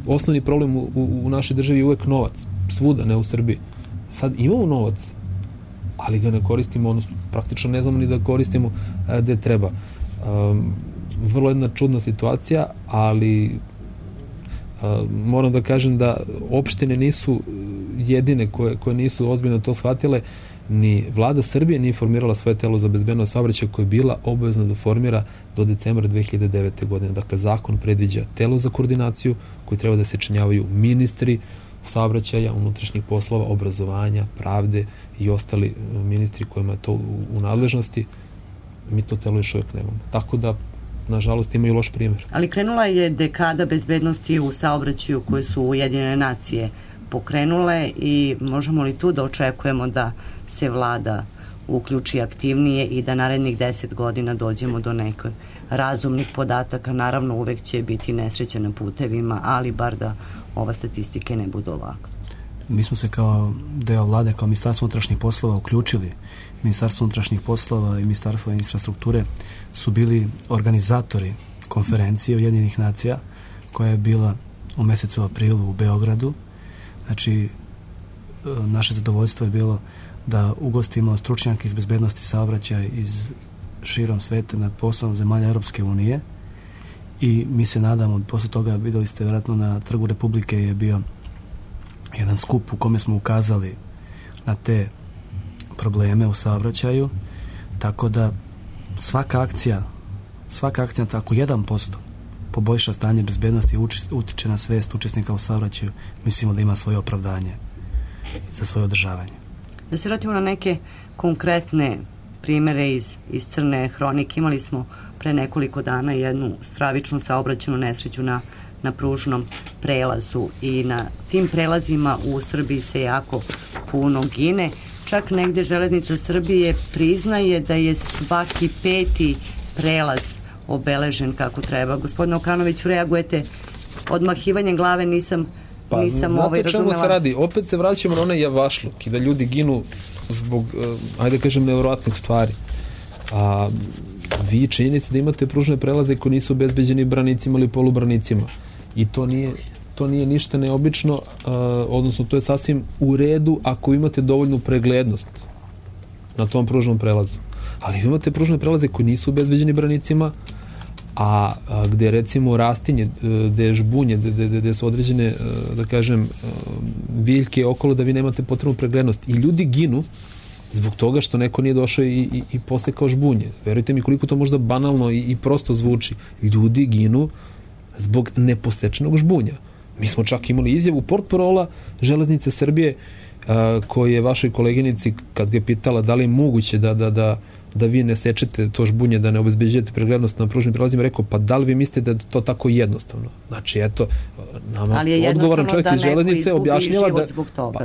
Speaker 10: Osnovni problem u našoj državi je uvek novac, svuda, ne u Srbiji. Sad imamo novac, ali ga ne koristimo, odnosno praktično ne znamo ni da koristimo gde treba. Vrlo jedna čudna situacija, ali moram da kažem da opštine nisu jedine koje nisu ozbiljno to shvatile, ni vlada Srbije nije formirala svoje telo za bezbednost saobraćaja koje je bila obavezna da formira do decembra 2009. godine. Dakle, zakon predviđa telo za koordinaciju koji treba da se činjavaju ministri saobraćaja, unutrašnjih poslova, obrazovanja, pravde i ostali ministri kojima je to u nadležnosti. Mi to telo još uvijek nemamo. Tako da, nažalost, imaju loš primjer.
Speaker 8: Ali krenula je dekada bezbednosti u saobraćaju koje su Ujedinjene nacije pokrenule i možemo li tu da očekujemo da se vlada uključi aktivnije i da narednih 10 godina dođemo do nekoj razumnih podataka? Naravno, uvek će biti nesreća na putevima, ali bar da ova statistike ne budu ovako.
Speaker 9: Mi smo se kao deo vlade, kao Ministarstvo unutrašnjih poslova uključili. Ministarstvo unutrašnjih poslova i Ministarstvo infrastrukture su bili organizatori konferencije Ujedinjenih nacija koja je bila u mesecu aprilu u Beogradu. Znači, naše zadovoljstvo je bilo da ugostimo stručnjake iz bezbednosti saobraćaja iz širom sveta na posao zemalja Europske unije i mi se nadamo, posle toga videli ste vjerojatno na Trgu Republike je bio jedan skup u kome smo ukazali na te probleme u saobraćaju, tako da svaka akcija tako 1% poboljša stanje bezbednosti i utiče na svest učesnika u saobraćaju, mislimo da ima svoje opravdanje za svoje održavanje.
Speaker 8: Da se vratimo na neke konkretne primere iz crne hronike. Imali smo pre nekoliko dana jednu stravičnu saobraćajnu nesreću na pružnom prelazu i na tim prelazima u Srbiji se jako puno gine. Čak negde Železnica Srbije priznaje da je svaki 5. prelaz obeležen kako treba. Gospodine Okanoviću, reagujete odmahivanjem glave, nisam
Speaker 10: znate čemu se radi? Opet se vraćamo na onaj javašluk i da ljudi ginu zbog, ajde kažem, nevjerojatnih stvari. A vi činjenica da imate pružne prelaze koji nisu obezbeđeni branicima ili polubranicima. I to nije ništa neobično, odnosno to je sasvim u redu ako imate dovoljnu preglednost na tom pružnom prelazu. Ali imate pružne prelaze koji nisu obezbeđeni branicima, a gde recimo rastinje, gde je žbunje, gde su određene, da kažem, biljke okolo da vi nemate potrebnu preglednost. I ljudi ginu zbog toga što neko nije došao i posekao žbunje. Verujte mi koliko to možda banalno i prosto zvuči. Ljudi ginu zbog neposečenog žbunja. Mi smo čak imali izjavu portparola Železnice Srbije koji je vašoj koleginici, kad ga je pitala da li je moguće da vi ne sečete to žbunje, da ne obezbeđujete preglednost na pružnim prelazima, rekao, pa da li vi mislite da je to tako jednostavno? Znači, eto, nama odgovoran čovjek iz Železnice objašnjava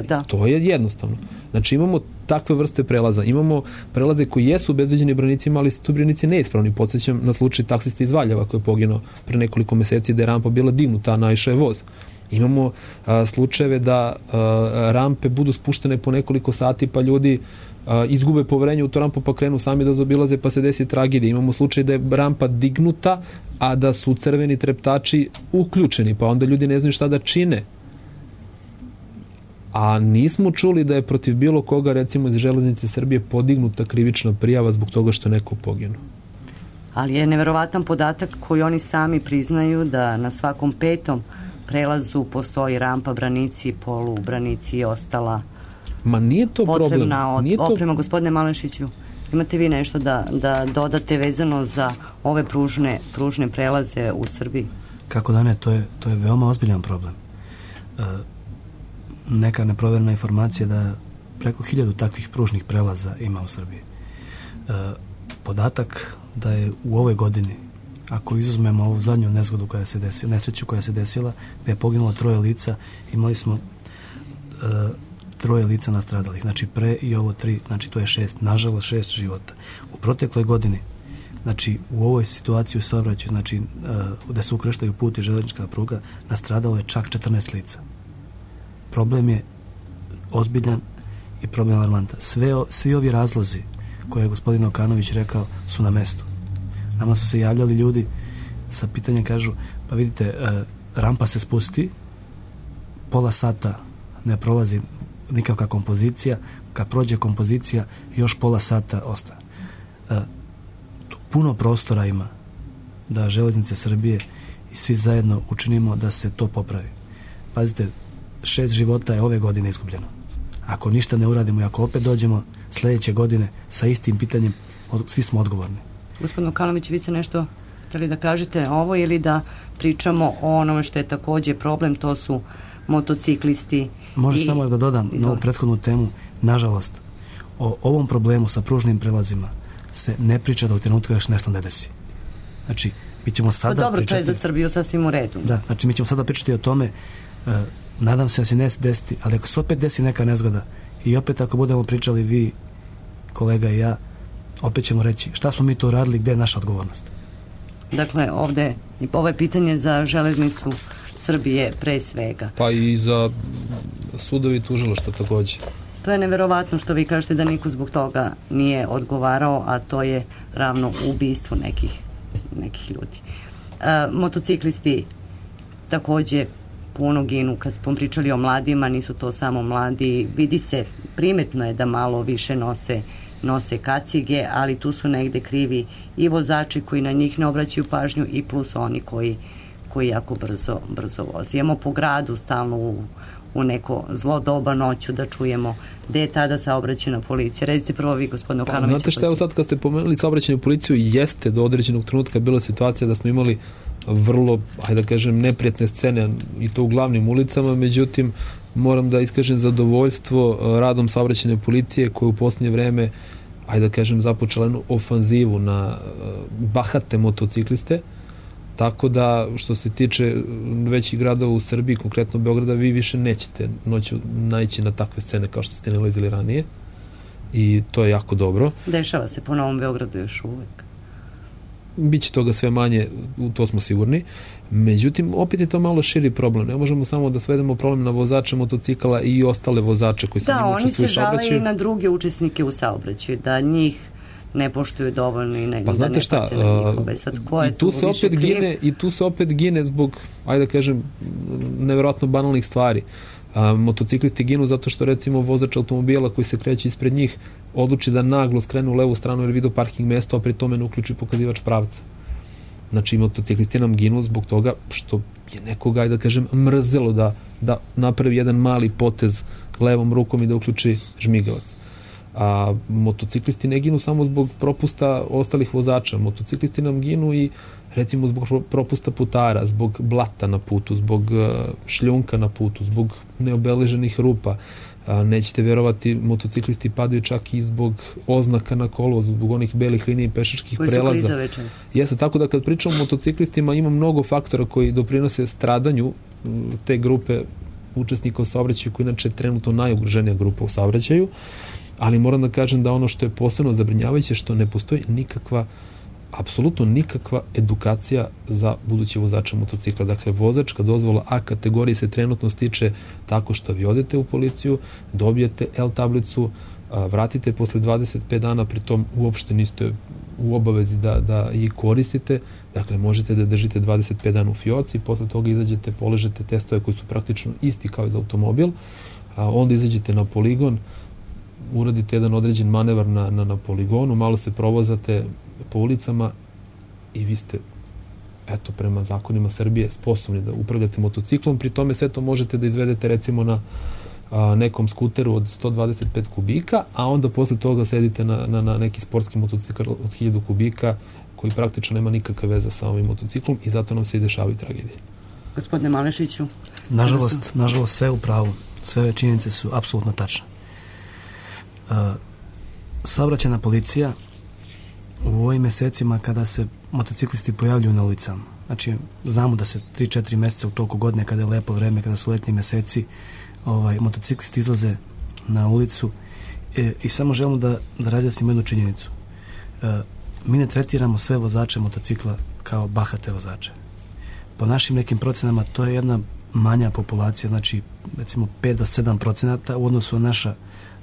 Speaker 10: da to je jednostavno. Znači, imamo takve vrste prelaza. Imamo prelaze koji jesu obezbeđeni branicima, ali su tu branici neispravni. Podsjećam na slučaj taksista iz Valjeva koji je poginuo pre nekoliko meseci da je rampa bila dignuta, a naišao je voz. Imamo slučajeve da rampe budu spuštene po nekoliko sati, pa ljudi izgube poverenje u to rampu, pa krenu sami da zaobilaze, pa se desi tragedija. Imamo slučaj da je rampa dignuta, a da su crveni treptači uključeni, pa onda ljudi ne znaju šta da čine. a nismo čuli da je protiv bilo koga, recimo iz Železnice Srbije, podignuta krivična prijava zbog toga što je neko poginuo.
Speaker 8: Ali je neverovatan podatak koji oni sami priznaju da na svakom 5. prelazu postoji rampa, branici, polubranici i ostala
Speaker 10: nije to
Speaker 8: potrebna
Speaker 10: problem.
Speaker 8: Oprema. Gospodine Malešiću, imate vi nešto da dodate vezano za ove pružne prelaze u Srbiji?
Speaker 9: Kako da ne, to je veoma ozbiljan problem. Neka neproverena informacija da preko 1000 takvih pružnih prelaza ima u Srbiji. Podatak da je u ovoj godini, ako izuzmemo ovu zadnju nezgodu koja se desila, nesreću koja se desila, gde je poginulo 3 lica, imali smo 3 lica nastradalih, znači pre i ovo 3, znači to je 6, nažalost 6 života. U protekloj godini, znači u ovoj situaciji u saobraćaju, znači gde se ukrštaju put i železnička pruga, nastradalo je čak 14 lica. Problem je ozbiljan i problem alarmantan. Svi ovi razlozi koje je gospodin Okanović rekao su na mestu. Nama su se javljali ljudi sa pitanjem, kažu, pa vidite, rampa se spusti, pola sata ne prolazi nikakva kompozicija, kad prođe kompozicija još pola sata ostaje. Tu puno prostora ima da Železnice Srbije i svi zajedno učinimo da se to popravi. Pazite, 6 života je ove godine izgubljeno. Ako ništa ne uradimo i ako opet dođemo sljedeće godine sa istim pitanjem, svi smo odgovorni.
Speaker 8: Gospodin Okanović, vi ste nešto htjeli da kažete ovo ili da pričamo o onome što je također problem, to su motociklisti.
Speaker 9: Može samo da dodam na ovu prethodnu temu, nažalost, o ovom problemu sa pružnim prelazima se ne priča da u trenutku još nešto ne desi. Znači, mi ćemo sada
Speaker 8: dobro,
Speaker 9: pričati...
Speaker 8: to je za Srbiju sasvim u redu.
Speaker 9: Da, znači mi ćemo sada pričati o tome, nadam se da se ne desiti, ali ako se opet desi neka nezgoda i opet ako budemo pričali vi, kolega i ja, opet ćemo reći šta smo mi to radili, gdje je naša odgovornost.
Speaker 8: Dakle, ovdje ovo je pitanje za Železnicu Srbije pre svega.
Speaker 10: Pa i za sudovi tužilaštva također.
Speaker 8: To je neverovatno što vi kažete da niko zbog toga nije odgovarao, a to je ravno ubistvu nekih ljudi. Motociklisti također puno ginu. Kad smo pričali o mladima, nisu to samo mladi. Vidi se, primetno je da malo više nose kacige, ali tu su negde krivi i vozači koji na njih ne obraćaju pažnju i plus oni koji jako brzo vozi. Imamo po gradu stalno u neko zlo doba noću da čujemo gde je tada saobraćajna policija. Recite prvo vi, gospodine Okanović.
Speaker 10: Znate šta, evo sad kad ste pomenuli saobraćajnu policiju, jeste do određenog trenutka bila situacija da smo imali vrlo, hajde da kažem, neprijatne scene i to u glavnim ulicama, međutim moram da iskažem zadovoljstvo radom saobraćajne policije koja u posljednje vreme, hajde da kažem, započela jednu ofanzivu na bahate motocikliste, tako da što se tiče većih gradova u Srbiji, konkretno Beograda, vi više nećete noću naići na takve scene kao što ste nalazili ranije i to je jako dobro.
Speaker 8: Dešava se po Novom Beogradu još uvek.
Speaker 10: Biće toga sve manje, u to smo sigurni. Međutim, opet je to malo širi problem. Ne možemo samo da svedemo problem na vozače motocikala i ostale vozače koji se njim učestvuju u saobraćaju.
Speaker 8: Da, oni se žale i na druge učesnike u saobraćaju, da njih ne poštuju dovoljno i
Speaker 10: pa znate šta, i tu se opet gine zbog, ajde da kažem, nevjerojatno banalnih stvari. Motociklisti ginu zato što recimo vozač automobila koji se kreće ispred njih odluči da naglo skrene u levu stranu jer vidi parking mesto, a pri tome ne uključi pokazivač pravca. Znači motociklisti nam ginu zbog toga što je nekoga, ajde da kažem, mrzelo da napravi jedan mali potez levom rukom i da uključi žmigavac. A motociklisti ne ginu samo zbog propusta ostalih vozača. Motociklisti nam ginu i recimo zbog propusta putara, zbog blata na putu, zbog šljunka na putu, zbog neobeleženih rupa. Nećete vjerovati, motociklisti padaju čak i zbog oznaka na kolovozu, zbog onih belih linija i pešačkih prelaza. Jeste, tako da kad pričamo o motociklistima ima mnogo faktora koji doprinose stradanju te grupe učesnika u saobraćaju, koji inače je trenutno najugroženija grupa u saobraćaju, ali moram da kažem da ono što je posebno zabrinjavajuće što ne postoji apsolutno nikakva edukacija za buduće vozače motocikla. Dakle, vozačka dozvola A kategorije se trenutno stiče tako što vi odete u policiju, dobijete L tablicu, vratite posle 25 dana, pritom uopšte niste u obavezi da ih koristite. Dakle, možete da držite 25 dana u fioci, posle toga izađete, položete testove koji su praktično isti kao i za automobil. onda izađete na poligon, uradite jedan određen manevar na poligonu, malo se provozate po ulicama i vi ste, eto, prema zakonima Srbije sposobni da upravljate motociklom, pri tome sve to možete da izvedete recimo na nekom skuteru od 125 kubika, a onda posle toga sedite na neki sportski motocikl od 1000 kubika koji praktično nema nikakve veze sa ovim motociklom i zato nam se i dešavaju tragedije.
Speaker 8: Gospodine Malešiću?
Speaker 9: Nažalost, sve u pravu. Sve činjenice su apsolutno tačne. Saobraćajna policija u ovim mesecima kada se motociklisti pojavljuju na ulicama, znači znamo da se 3-4 meseca u toku godine kada je lepo vreme, kada su letnji meseci, motociklisti izlaze na ulicu i samo želimo da razjasnimo jednu činjenicu. Mi ne tretiramo sve vozače motocikla kao bahate vozače. Po našim nekim procenama to je jedna manja populacija, znači recimo 5 do 7% u odnosu na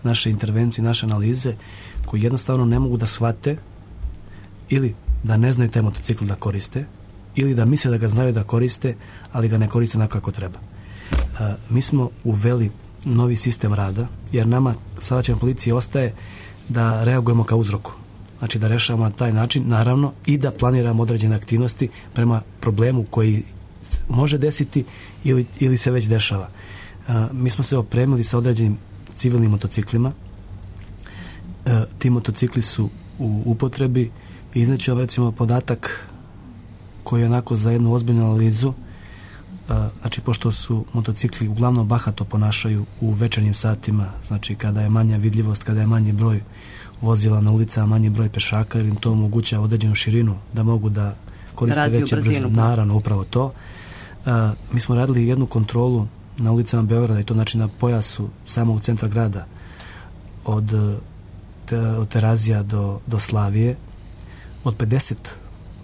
Speaker 9: naše intervencije, naše analize, koji jednostavno ne mogu da shvate ili da ne znaju taj motocikl da koriste ili da misle da ga znaju da koriste, ali ga ne koriste onako kako treba. Mi smo uveli novi sistem rada, jer nama saobraćajna policija ostaje da reagujemo kao uzroku. Znači da rešavamo na taj način, naravno, i da planiramo određene aktivnosti prema problemu koji može desiti ili se već dešava. Mi smo se opremili sa određenim civilnim motociklima. Ti motocikli su u upotrebi i izneću vam recimo podatak koji je onako za jednu ozbiljnu analizu. Znači pošto su motocikli uglavnom bahato ponašaju u večernjim satima, znači kada je manja vidljivost, kada je manji broj vozila na ulicama, manji broj pešaka, jer im to omogućava određenu širinu da mogu da koriste veće brzine. Naravno, upravo to. Mi smo radili jednu kontrolu na ulicama Beograda i to znači na pojasu samog centra grada od Terazija do Slavije, od 50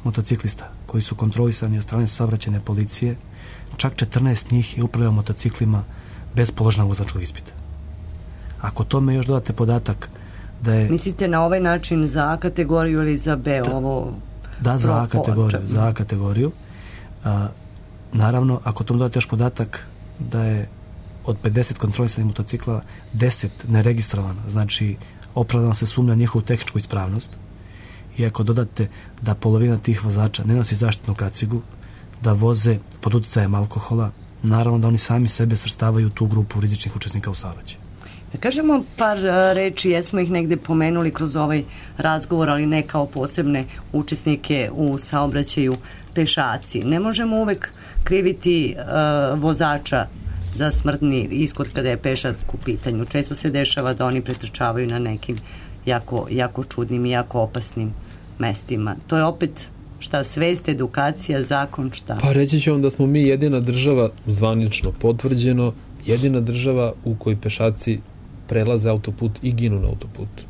Speaker 9: motociklista koji su kontrolisani od strane saobraćajne policije, čak 14 njih je upravljao motociklima bez položenog vozačkog ispita. Ako tome još dodate podatak da je...
Speaker 8: Mislite na ovaj način za A kategoriju ili za B?
Speaker 9: Da, za A kategoriju. Naravno, ako tome dodate još podatak da je od 50 kontrolisanih motocikla 10 neregistrovano, znači opravdano se sumnja njihovu tehničku ispravnost, i ako dodate da polovina tih vozača ne nosi zaštitnu kacigu, da voze pod uticajem alkohola, naravno da oni sami sebe svrstavaju u tu grupu rizičnih učesnika u saobraćaju.
Speaker 8: Da kažemo par reči, jesmo ih negde pomenuli kroz ovaj razgovor, ali ne kao posebne učesnike u saobraćaju, pešaci. Ne možemo uvek kriviti vozača za smrtni ishod kada je pešak u pitanju. Često se dešava da oni pretrčavaju na nekim jako čudnim i jako opasnim mestima. To je opet šta, svest, edukacija, zakon, šta?
Speaker 10: Pa reći ću vam da smo mi jedina država, zvanično potvrđeno, jedina država u kojoj pešaci prelaze autoput i ginu na autoputu.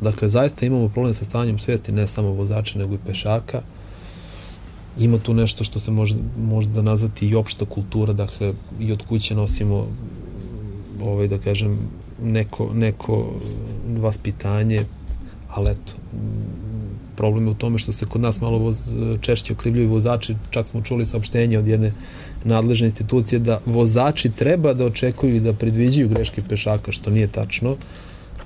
Speaker 10: Dakle, zaista imamo problem sa stanjem svesti, ne samo vozača, nego i pešaka. Ima tu nešto što se može nazvati i opšta kultura, dakle, i od kuće nosimo da kažem, neko vaspitanje, ali eto, problem je u tome što se kod nas malo češće okrivljuju vozači, čak smo čuli saopštenje od jedne nadležne institucije da vozači treba da očekuju i da predviđaju greške pešaka, što nije tačno.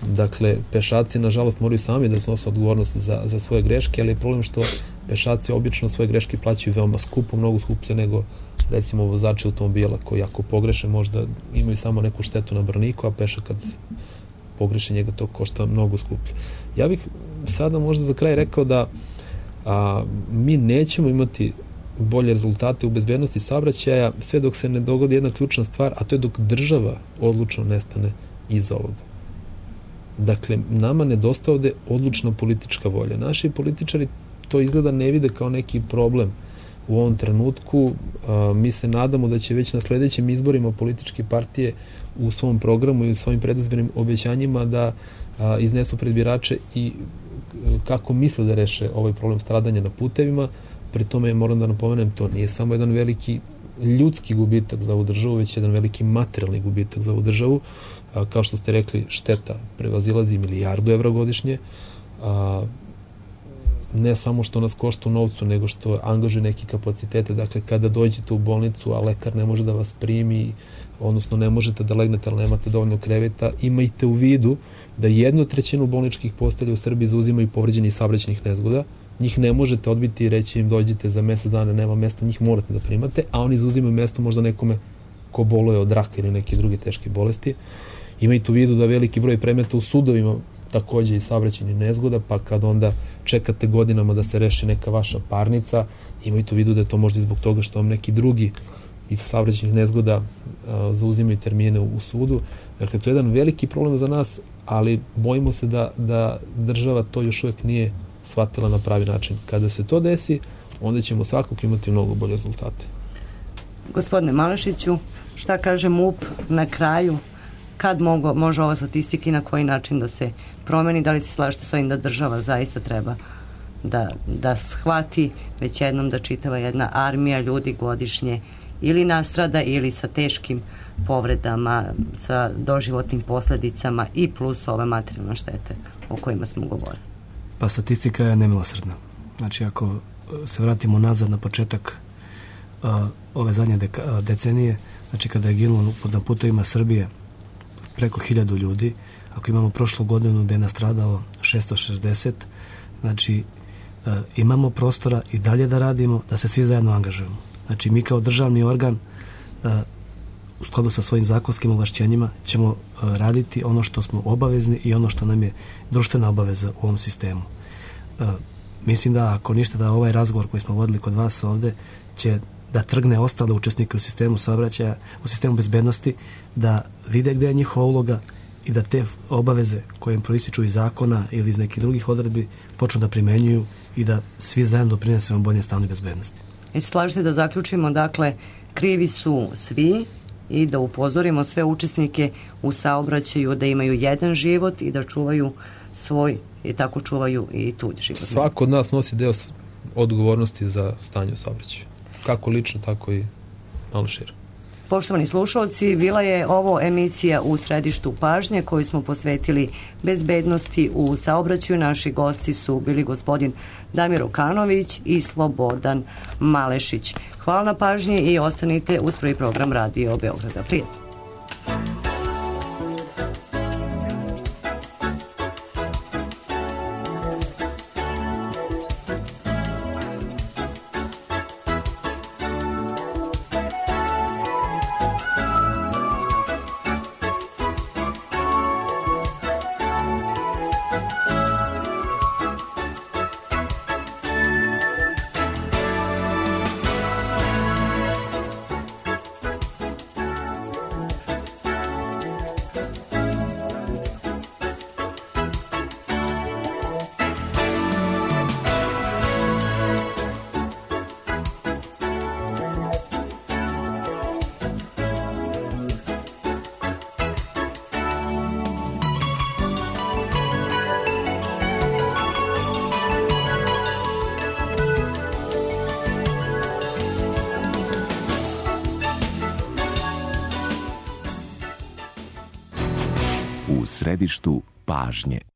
Speaker 10: Dakle, pešaci, nažalost, moraju sami da snose odgovornost za svoje greške, ali je problem što pešaci obično svoje greške plaćaju veoma skupo, mnogo skuplje nego recimo vozači automobila koji ako pogreše možda imaju samo neku štetu na braniku, a pešak kad pogreše njega to košta mnogo skuplje. Ja bih sada možda za kraj rekao da mi nećemo imati bolje rezultate u bezbednosti saobraćaja sve dok se ne dogodi jedna ključna stvar, a to je dok država odlučno nestane iza ovoga. Dakle, nama nedostaje ovde odlučna politička volja. Naši političari to izgleda ne vide kao neki problem u ovom trenutku. Mi se nadamo da će već na sledećim izborima političke partije u svom programu i u svojim predizbornim obećanjima da iznesu pred birače i kako misle da reše ovaj problem stradanja na putevima. Pri tome moram da napomenem, to nije samo jedan veliki ljudski gubitak za ovu državu, već jedan veliki materijalni gubitak za ovu državu. Kao što ste rekli, šteta prevazilazi 1 milijardu evra godišnje. ne samo što nas košta u novcu, nego što angažuje neki kapacitete. Dakle, kada dođete u bolnicu, a lekar ne može da vas primi, odnosno ne možete da legnete, ali nemate dovoljno kreveta, imajte u vidu da 1/3 bolničkih postelja u Srbiji zauzimaju povređenih saobraćajnih nezgoda. Njih ne možete odbiti i reći im dođite za mesec dana, nema mesta, njih morate da primate, a oni zauzimaju mesto možda nekome ko boluje od raka ili neke druge teške bolesti. Imajte u vidu da veliki broj predmeta u sudovima takođe i saobraćajnih nezgoda, pa kad onda čekate godinama da se reši neka vaša parnica, imajte u vidu da je to možda i zbog toga što vam neki drugi iz saobraćajnih nezgoda zauzimaju termine u sudu. Dakle, to je jedan veliki problem za nas, ali bojimo se da država to još uvek nije shvatila na pravi način. Kada se to desi, onda ćemo svakako imati mnogo bolje rezultate.
Speaker 8: Gospodine Malešiću, šta kaže MUP na kraju? Kad može ova statistika i na koji način da se promeni? Da li se slažete s ovim da država zaista treba da shvati već jednom da čitava jedna armija ljudi godišnje ili nastrada ili sa teškim povredama, sa doživotnim posledicama i plus ove materijalne štete o kojima smo govorili?
Speaker 9: Pa statistika je nemilosrdna. Znači, ako se vratimo nazad na početak ove zadnje decenije, znači kada je ginulo na putovima Srbije preko 1000 ljudi, ako imamo prošlu godinu da je nastradalo 660, znači imamo prostora i dalje da radimo, da se svi zajedno angažujemo. Znači, mi kao državni organ u skladu sa svojim zakonskim ovlašćenjima ćemo raditi ono što smo obavezni i ono što nam je društvena obaveza u ovom sistemu. Mislim da ako ništa, da ovaj razgovor koji smo vodili kod vas ovde će da trgne ostale učesnike u sistemu saobraćaja, u sistemu bezbednosti, da vide gde je njihova uloga i da te obaveze koje im proističu iz zakona ili iz nekih drugih odredbi počnu da primenjuju i da svi zajedno doprinesemo bolje stanju bezbednosti.
Speaker 8: I slažete da zaključimo, dakle, krivi su svi i da upozorimo sve učesnike u saobraćaju da imaju jedan život i da čuvaju svoj i tako čuvaju i tuđ život.
Speaker 10: Svako od nas nosi deo odgovornosti za stanje u saobraćaju. Kako lično, tako i malo šire.
Speaker 8: Poštovani slušalci, bila je ovo emisija U središtu pažnje koju smo posvetili bezbednosti u saobraćaju. Naši gosti su bili gospodin Damir Okanović i Slobodan Malešić. Hvala na pažnji i ostanite uz prvi program Radio Beograda. Prijatno.
Speaker 11: U središtu pažnje.